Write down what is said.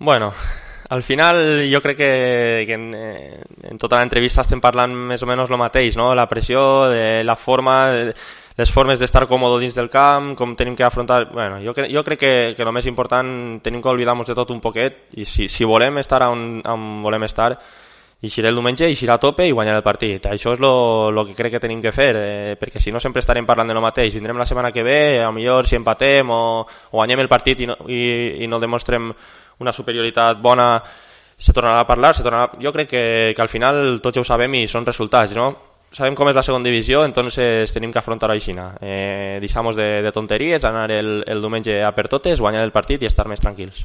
Bueno, al final jo crec que en tota l'entrevista estem parlant més o menys el mateix, no? La pressió, de la forma, les formes d'estar còmode dins del camp, com tenim que afrontar... Bueno, jo crec que el més important tenim que oblidar-nos de tot un poquet i si volem estar on volem estar, eixiré el diumenge, eixirà a tope i guanyar el partit. Això és el que crec que tenim que fer, perquè si no sempre estarem parlant de lo mateix. Vindrem la setmana que ve, a millor si empatem o guanyem el partit i no demostrem una superioritat bona, se tornarà a parlar, jo crec que al final tots ja ho sabem i són resultats, no? Sabem com és la segona divisió, entonces tenim que afrontar-ho així. Deixamos de tonteries, anar el diumenge a per totes, guanyar el partit i estar més tranquils.